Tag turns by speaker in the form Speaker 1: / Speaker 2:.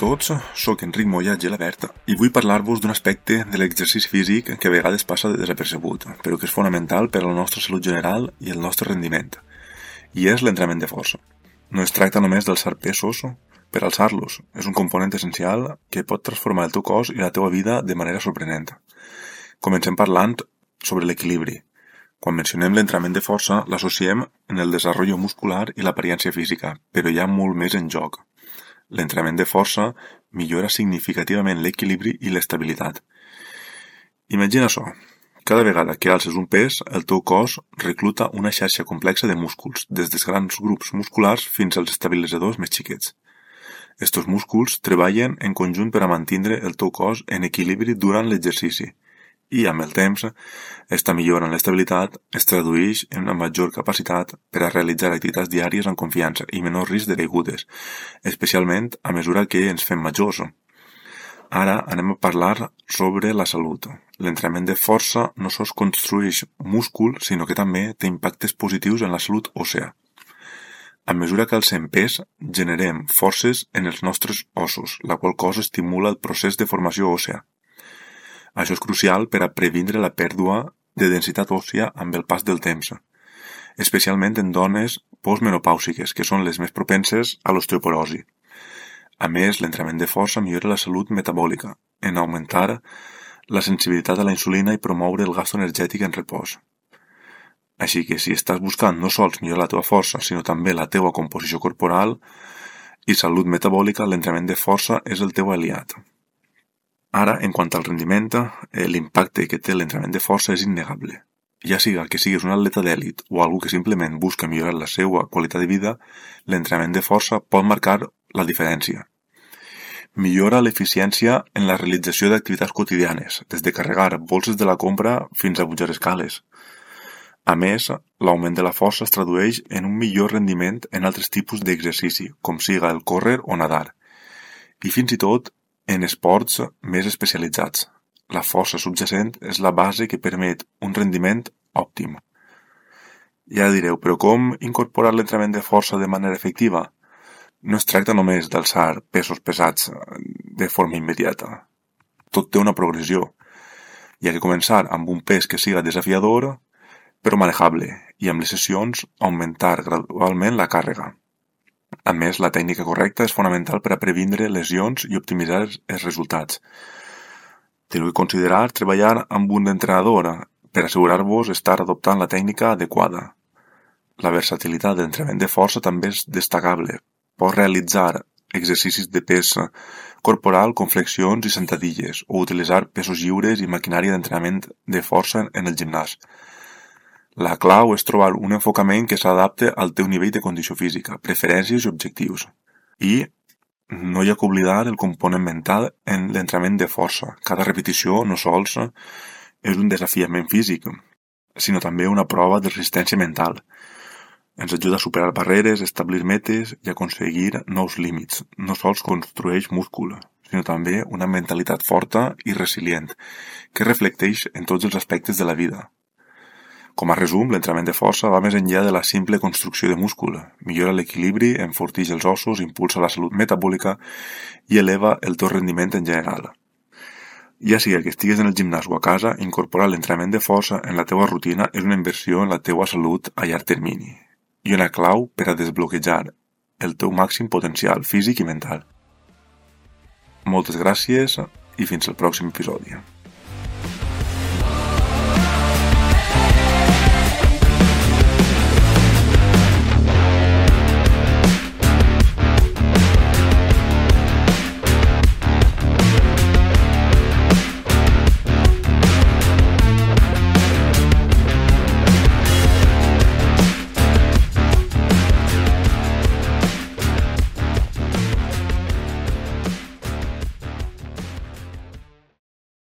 Speaker 1: tots, sóc Enric Moya Gelabert i vull parlar-vos d'un aspecte de l'exercici físic que a vegades passa desapercebut, però que és fonamental per a la nostra salut general i el nostre rendiment, i és l'entrenament de força. No es tracta només d'alçar pesos per alçar-los, és un component essencial que pot transformar el teu cos i la teva vida de manera sorprenent. Comencem parlant sobre l'equilibri. Quan mencionem l'entrenament de força, l'associem en el desenvolupament muscular i l'apariència física, però hi ha molt més en joc. L'entrenament de força millora significativament l'equilibri i l'estabilitat. Imagina això. Cada vegada que alces un pes, el teu cos recluta una xarxa complexa de músculs, des dels grans grups musculars fins als estabilitzadors més xiquets. Estos músculs treballen en conjunt per a mantenir el teu cos en equilibri durant l'exercici. I, amb el temps, esta millora en l'estabilitat es tradueix en una major capacitat per a realitzar activitats diàries amb confiança i menor risc de caigudes, especialment a mesura que ens fem majors. Ara anem a parlar sobre la salut. L'entrenament de força no sols construeix múscul, sinó que també té impactes positius en la salut òssea. A mesura que alcem pes, generem forces en els nostres ossos, la qual cosa estimula el procés de formació òssea. Això és crucial per a previndre la pèrdua de densitat òssia amb el pas del temps, especialment en dones postmenopàusiques, que són les més propenses a l'osteoporosi. A més, l'entrenament de força millora la salut metabòlica, en augmentar la sensibilitat a la insulina i promoure el gasto energètic en repòs. Així que si estàs buscant no sols millorar la teva força, sinó també la teva composició corporal i salut metabòlica, l'entrenament de força és el teu aliat. Ara, en quant al rendiment, l'impacte que té l'entrenament de força és innegable. Ja siga que siguis un atleta d'èlit o algú que simplement busca millorar la seva qualitat de vida, l'entrenament de força pot marcar la diferència. Millora l'eficiència en la realització d'activitats quotidianes, des de carregar bolses de la compra fins a pujar escales. A més, l'augment de la força es tradueix en un millor rendiment en altres tipus d'exercici, com siga el córrer o nadar. I fins i tot en esports més especialitzats. La força subjacent és la base que permet un rendiment òptim. Ja direu, però com incorporar l'entrenament de força de manera efectiva? No es tracta només d'alçar pesos pesats de forma immediata. Tot té una progressió. Hi ha que començar amb un pes que siga desafiador, però manejable, i amb les sessions augmentar gradualment la càrrega. A més, la tècnica correcta és fonamental per a previndre lesions i optimitzar els resultats. Teniu que considerar treballar amb un entrenador per assegurar-vos estar adoptant la tècnica adequada. La versatilitat de l'entrenament de força també és destacable. Pots realitzar exercicis de pes corporal com flexions i sentadilles o utilitzar pesos lliures i maquinària d'entrenament de força en el gimnàs. La clau és trobar un enfocament que s'adapte al teu nivell de condició física, preferències i objectius. I no hi ha que oblidar el component mental en l'entrenament de força. Cada repetició no sols és un desafiament físic, sinó també una prova de resistència mental. Ens ajuda a superar barreres, establir metes i aconseguir nous límits. No sols construeix múscul, sinó també una mentalitat forta i resilient, que reflecteix en tots els aspectes de la vida. Com a resum, l'entrenament de força va més enllà de la simple construcció de múscul. Millora l'equilibri, enforteix els ossos, impulsa la salut metabòlica i eleva el teu rendiment en general. Ja sigui que estigues en el gimnàs o a casa, incorporar l'entrenament de força en la teva rutina és una inversió en la teva salut a llarg termini i una clau per a desbloquejar el teu màxim potencial físic i mental. Moltes gràcies i fins al pròxim episodi.